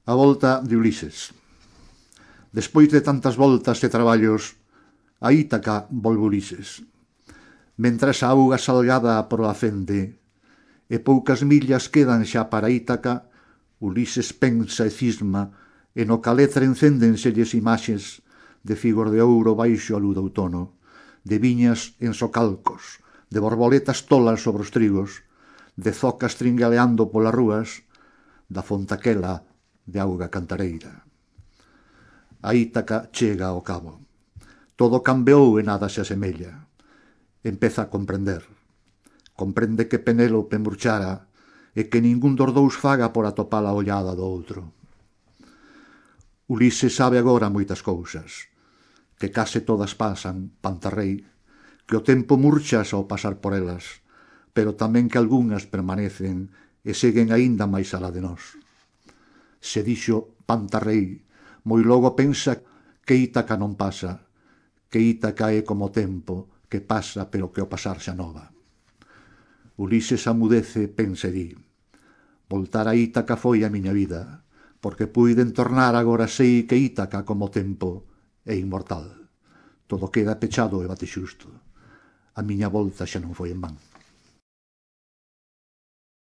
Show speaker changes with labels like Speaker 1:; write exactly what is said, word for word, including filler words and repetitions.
Speaker 1: A volta de Ulises. Despois de tantas voltas e traballos, a Ítaca volve Ulises. Mentras a auga salgada proa fende e poucas millas quedan xa para Ítaca, Ulises pensa e cisma e no caletre encéndenselles imaxes de figos de ouro baixo a luz do outono, de viñas en socalcos, de borboletas tolas sobre os trigos, de zocas tringaleando polas rúas, da fontaquela de auga cantareira. A Ítaca chega ao cabo. Todo cambeou e nada se asemella. Empeza a comprender. Comprende que Penélope murchara e que ningún dos dous faga por atopar a ollada do outro. Ulises sabe agora moitas cousas, que case todas pasan, Pantarrei, que o tempo murchas ao pasar por elas, pero tamén que algunhas permanecen e seguen aínda máis alá de nós. Se dixo Pantarrei, moi logo pensa que Ítaca non pasa, que Ítaca é como o tempo, que pasa pero que o pasar xa nova. Ulises amudece, pensa e di: voltar a Ítaca foi a miña vida, porque puiden tornar agora sei que Ítaca como o tempo é inmortal. Todo queda pechado e bate xusto. A miña volta xa non foi en van.